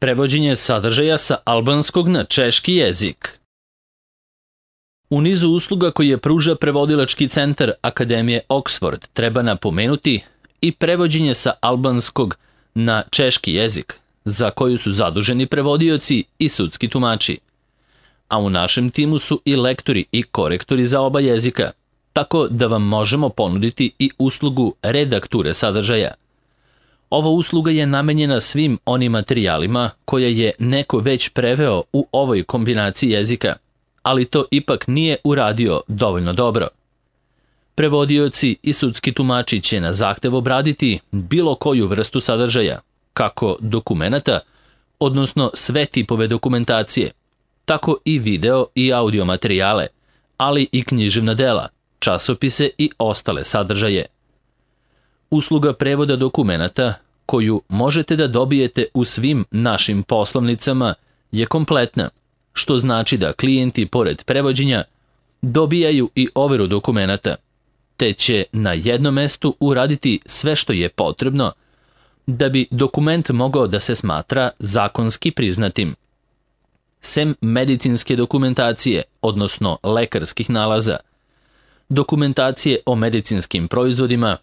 Prevođenje sadržaja sa albanskog na češki jezik. U nizu usluga koje pruža prevodilački centar Akademije Oxford treba napomenuti i prevođenje sa albanskog na češki jezik, za koju su zaduženi prevodioci i sudski tumači. A u našem timu su i lektori i korektori za oba jezika, tako da vam možemo ponuditi i uslugu redakture sadržaja. Ova usluga je namenjena svim onim materijalima koje je neko već preveo u ovoj kombinaciji jezika, ali to ipak nije uradio dovoljno dobro. Prevodioci i sudski tumači će na zahtev obraditi bilo koju vrstu sadržaja, kako dokumenata, odnosno sve tipove dokumentacije, tako i video i audio materijale, ali i književna dela, časopise i ostale sadržaje. Usluga prevoda dokumenata, koju možete da dobijete u svim našim poslovnicama, je kompletna, što znači da klijenti pored prevođenja dobijaju i overu dokumenata, te će na jednom mestu uraditi sve što je potrebno da bi dokument mogao da se smatra zakonski priznatim. Sem medicinske dokumentacije, odnosno lekarskih nalaza, dokumentacije o medicinskim proizvodima,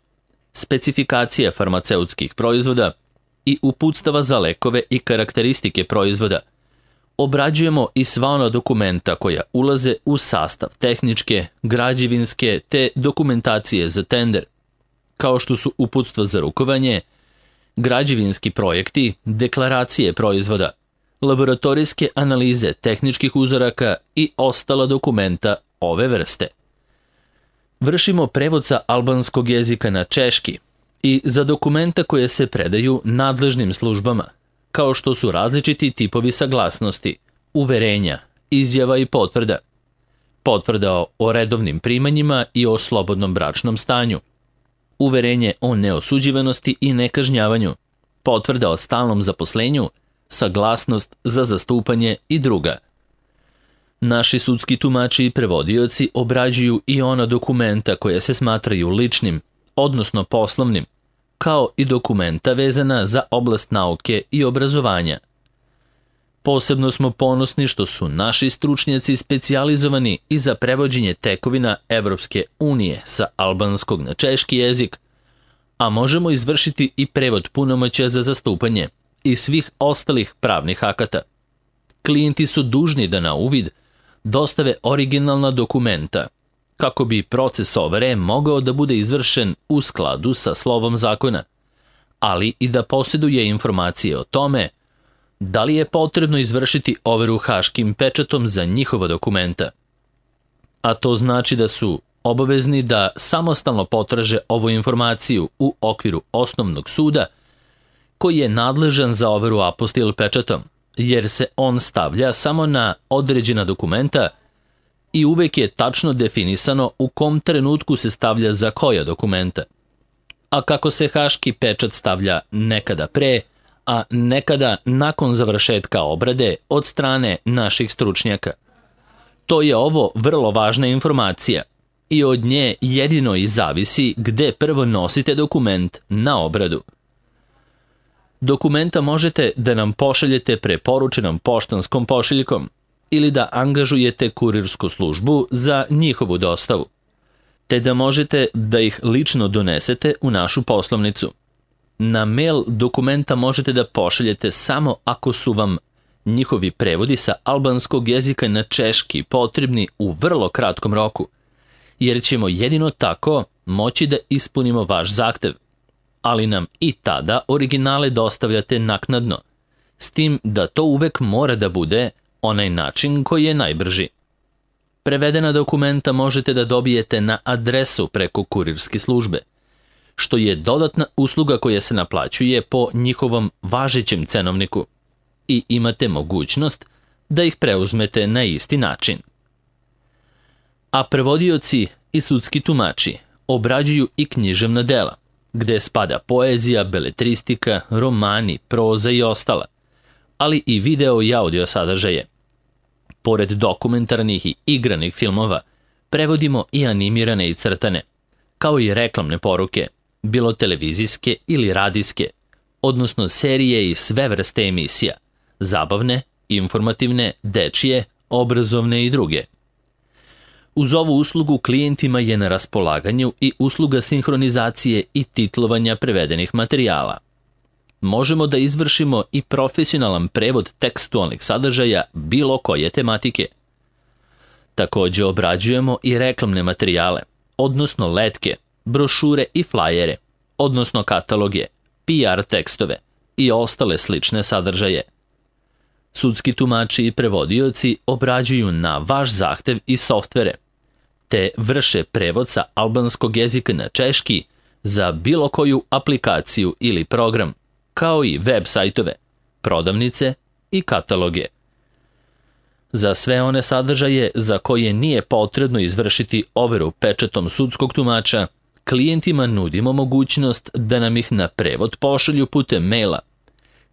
specifikacije farmaceutskih proizvoda i uputstava za lekove i karakteristike proizvoda, obrađujemo i sva ona dokumenta koja ulaze u sastav tehničke, građevinske te dokumentacije za tender, kao što su uputstva za rukovanje, građevinski projekti, deklaracije proizvoda, laboratorijske analize tehničkih uzoraka i ostala dokumenta ove vrste. Vršimo prevod sa albanskog jezika na češki i za dokumenta koje se predaju nadležnim službama, kao što su različiti tipovi saglasnosti, uverenja, izjava i potvrda, potvrda o redovnim primanjima i o slobodnom bračnom stanju, uverenje o neosuđivanosti i nekažnjavanju, potvrda o stalnom zaposlenju, saglasnost za zastupanje i druga. Naši sudski tumači i prevodioci obrađuju i ona dokumenta koje se smatraju ličnim, odnosno poslovnim, kao i dokumenta vezana za oblast nauke i obrazovanja. Posebno smo ponosni što su naši stručnjaci specijalizovani i za prevođenje tekovina Evropske unije sa albanskog na češki jezik, a možemo izvršiti i prevod punomoćja za zastupanje i svih ostalih pravnih akata. Klijenti su dužni da na uvid dostave originalna dokumenta, kako bi proces overe mogao da bude izvršen u skladu sa slovom zakona, ali i da posjeduje informacije o tome da li je potrebno izvršiti overu haškim pečatom za njihova dokumenta. A to znači da su obavezni da samostalno potraže ovu informaciju u okviru osnovnog suda koji je nadležan za overu apostil pečatom, jer se on stavlja samo na određena dokumenta i uvek je tačno definisano u kom trenutku se stavlja za koja dokumenta. A kako se haški pečat stavlja nekada pre, a nekada nakon završetka obrade od strane naših stručnjaka. To je ovo vrlo važna informacija i od nje jedino i zavisi gde prvo nosite dokument na obradu. Dokumenta možete da nam pošaljete preporučenom poštanskom pošiljkom ili da angažujete kurirsku službu za njihovu dostavu, te da možete da ih lično donesete u našu poslovnicu. Na mail dokumenta možete da pošaljete samo ako su vam njihovi prevodi sa albanskog jezika na češki potrebni u vrlo kratkom roku, jer ćemo jedino tako moći da ispunimo vaš zahtev, ali nam i tada originale dostavljate naknadno, s tim da to uvek mora da bude onaj način koji je najbrži. Prevedena dokumenta možete da dobijete na adresu preko kurirske službe, što je dodatna usluga koja se naplaćuje po njihovom važećem cenovniku i imate mogućnost da ih preuzmete na isti način. A prevodioci i sudski tumači obrađuju i književna dela, gde spada poezija, beletristika, romani, proza i ostala, ali i video i audio sadržaje. Pored dokumentarnih i igranih filmova, prevodimo i animirane i crtane, kao i reklamne poruke, bilo televizijske ili radijske, odnosno serije i sve vrste emisija, zabavne, informativne, dečije, obrazovne i druge. Uz ovu uslugu klijentima je na raspolaganju i usluga sinhronizacije i titlovanja prevedenih materijala. Možemo da izvršimo i profesionalan prevod tekstualnih sadržaja bilo koje tematike. Takođe obrađujemo i reklamne materijale, odnosno letke, brošure i flajere, odnosno kataloge, PR tekstove i ostale slične sadržaje. Sudski tumači i prevodioci obrađuju na vaš zahtev i softvere, te vrše prevod sa albanskog jezika na češki za bilo koju aplikaciju ili program, kao i web sajtove, prodavnice i kataloge. Za sve one sadržaje za koje nije potrebno izvršiti overu pečatom sudskog tumača, klijentima nudimo mogućnost da nam ih na prevod pošalju putem maila,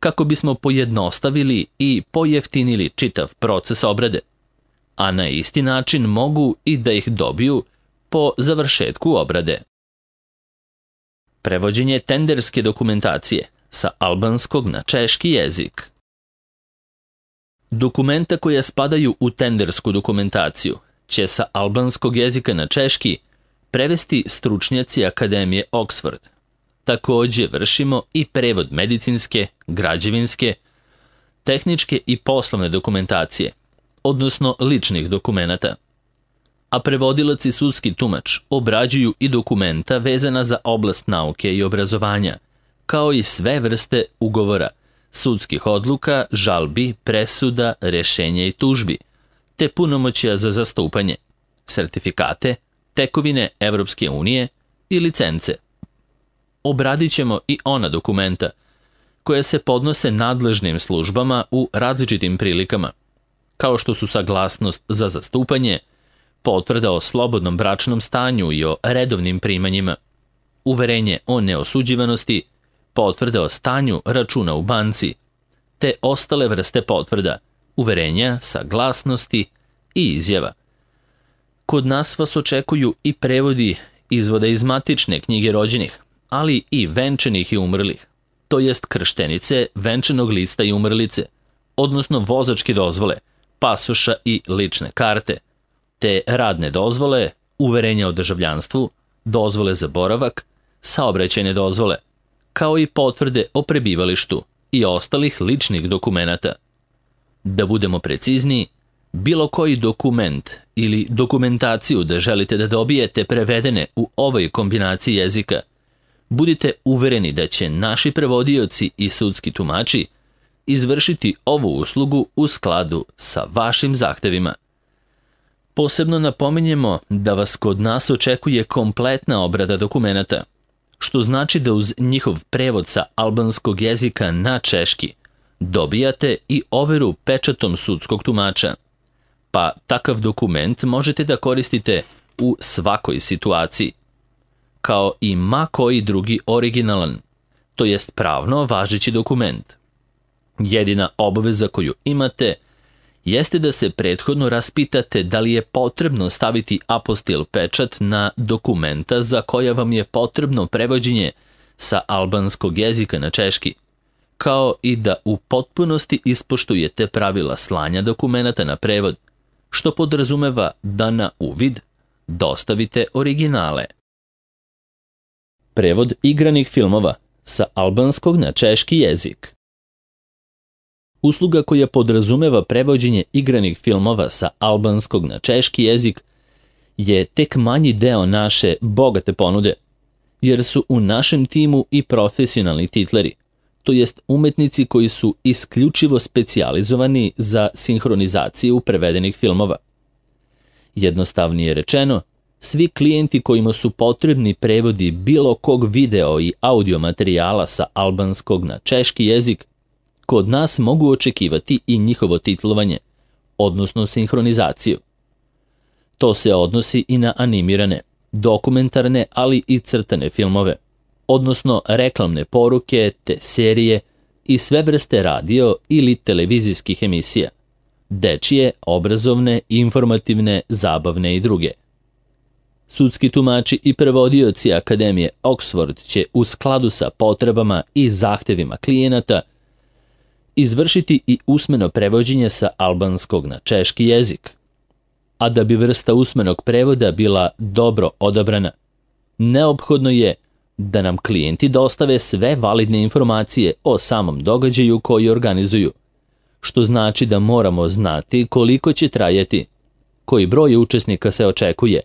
kako bismo pojednostavili i pojeftinili čitav proces obrade, a na isti način mogu i da ih dobiju po završetku obrade. Prevođenje tenderske dokumentacije sa albanskog na češki jezik. Dokumenta koja spadaju u tendersku dokumentaciju će sa albanskog jezika na češki prevesti stručnjaci Akademije Oxford. Takođe vršimo i prevod medicinske, građevinske, tehničke i poslovne dokumentacije, odnosno ličnih dokumenata. A prevodilac i sudski tumač obrađuju i dokumenta vezana za oblast nauke i obrazovanja, kao i sve vrste ugovora, sudskih odluka, žalbi, presuda, rešenja i tužbi, te punomoćja za zastupanje, sertifikate, tekovine Evropske unije i licence. Obradit ćemo i ona dokumenta koja se podnose nadležnim službama u različitim prilikama, kao što su saglasnost za zastupanje, potvrda o slobodnom bračnom stanju i o redovnim primanjima, uverenje o neosuđivanosti, potvrde o stanju računa u banci, te ostale vrste potvrda, uverenja, saglasnosti i izjava. Kod nas vas očekuju i prevodi izvoda iz matične knjige rođenih, ali i venčanih i umrlih, to jest krštenice, venčanog lista i umrlice, odnosno vozačke dozvole, pasoša i lične karte, te radne dozvole, uverenja o državljanstvu, dozvole za boravak, saobraćajne dozvole, kao i potvrde o prebivalištu i ostalih ličnih dokumenata. Da budemo precizniji, bilo koji dokument ili dokumentaciju da želite da dobijete prevedene u ovoj kombinaciji jezika, budite uvereni da će naši prevodioci i sudski tumači izvršiti ovu uslugu u skladu sa vašim zahtevima. Posebno napominjemo da vas kod nas očekuje kompletna obrada dokumenata, što znači da uz njihov prevod sa albanskog jezika na češki dobijate i overu pečatom sudskog tumača, pa takav dokument možete da koristite u svakoj situaciji, kao i ma koji drugi originalan, to jest pravno važeći dokument. Jedina obaveza koju imate jeste da se prethodno raspitate da li je potrebno staviti apostil pečat na dokumenta za koja vam je potrebno prevođenje sa albanskog jezika na češki, kao i da u potpunosti ispoštujete pravila slanja dokumenata na prevod, što podrazumeva da na uvid dostavite originale. Prevod igranih filmova sa albanskog na češki jezik. Usluga koja podrazumeva prevođenje igranih filmova sa albanskog na češki jezik je tek manji deo naše bogate ponude, jer su u našem timu i profesionalni titleri, to jest umetnici koji su isključivo specijalizovani za sinhronizaciju prevedenih filmova. Jednostavnije rečeno, svi klijenti kojima su potrebni prevodi bilo kog video i audio materijala sa albanskog na češki jezik, kod nas mogu očekivati i njihovo titlovanje, odnosno sinhronizaciju. To se odnosi i na animirane, dokumentarne, ali i crtane filmove, odnosno reklamne poruke, te serije i sve vrste radio ili televizijskih emisija, dečije, obrazovne, informativne, zabavne i druge. Sudski tumači i prevodioci Akademije Oxford će u skladu sa potrebama i zahtevima klijenata izvršiti i usmeno prevođenje sa albanskog na češki jezik. A da bi vrsta usmenog prevoda bila dobro odabrana, neophodno je da nam klijenti dostave sve validne informacije o samom događaju koji organizuju, što znači da moramo znati koliko će trajati, koji broj učesnika se očekuje,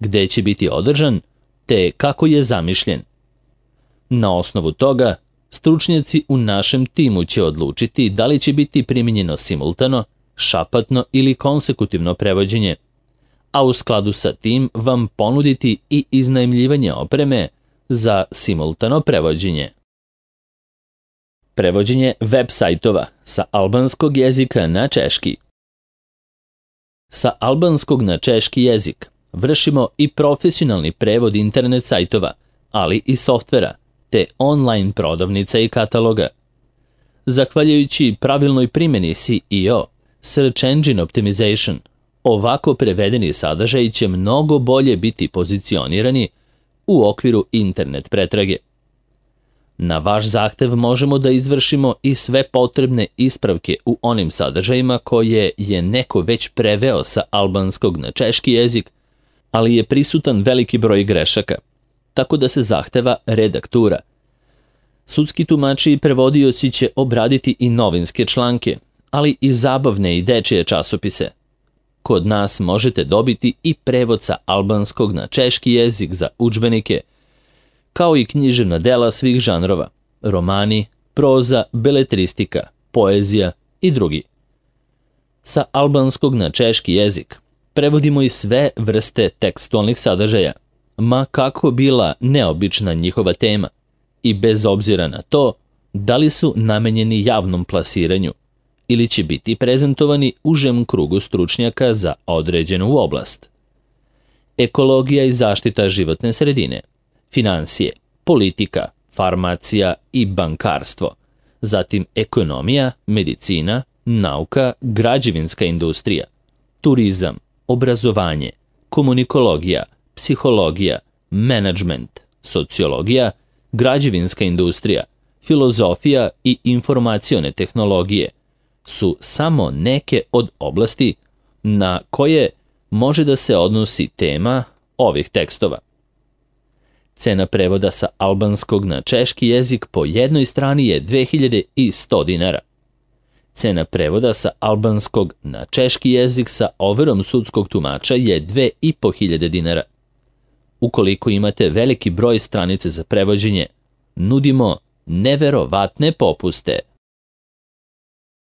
gde će biti održan, te kako je zamišljen. Na osnovu toga, stručnjaci u našem timu će odlučiti da li će biti primijenjeno simultano, šapatno ili konsekutivno prevođenje, a u skladu sa tim vam ponuditi i iznajmljivanje opreme za simultano prevođenje. Prevođenje web sajtova sa albanskog jezika na češki. Sa albanskog na češki jezik vršimo i profesionalni prevod internet sajtova, ali i softvera, te online prodavnica i kataloga. Zahvaljujući pravilnoj primjeni SEO, Search Engine Optimization, ovako prevedeni sadržaji će mnogo bolje biti pozicionirani u okviru internet pretrage. Na vaš zahtev možemo da izvršimo i sve potrebne ispravke u onim sadržajima koje je neko već preveo sa albanskog na češki jezik, ali je prisutan veliki broj grešaka, tako da se zahteva redaktura. Sudski tumači i prevodioci će obraditi i novinske članke, ali i zabavne i dečije časopise. Kod nas možete dobiti i prevod sa albanskog na češki jezik za udžbenike, kao i književna dela svih žanrova, romani, proza, beletristika, poezija i drugi. Sa albanskog na češki jezik prevodimo i sve vrste tekstualnih sadržaja, ma kako bila neobična njihova tema, i bez obzira na to da li su namenjeni javnom plasiranju ili će biti prezentovani užem krugu stručnjaka za određenu oblast. Ekologija i zaštita životne sredine, finansije, politika, farmacija i bankarstvo, zatim ekonomija, medicina, nauka, građevinska industrija, turizam, obrazovanje, komunikologija, psihologija, menadžment, sociologija, građevinska industrija, filozofija i informacione tehnologije su samo neke od oblasti na koje može da se odnosi tema ovih tekstova. Cena prevoda sa albanskog na češki jezik po jednoj strani je 2100 dinara. Cena prevoda sa albanskog na češki jezik sa overom sudskog tumača je 2500 dinara. Ukoliko imate veliki broj stranice za prevođenje, nudimo neverovatne popuste.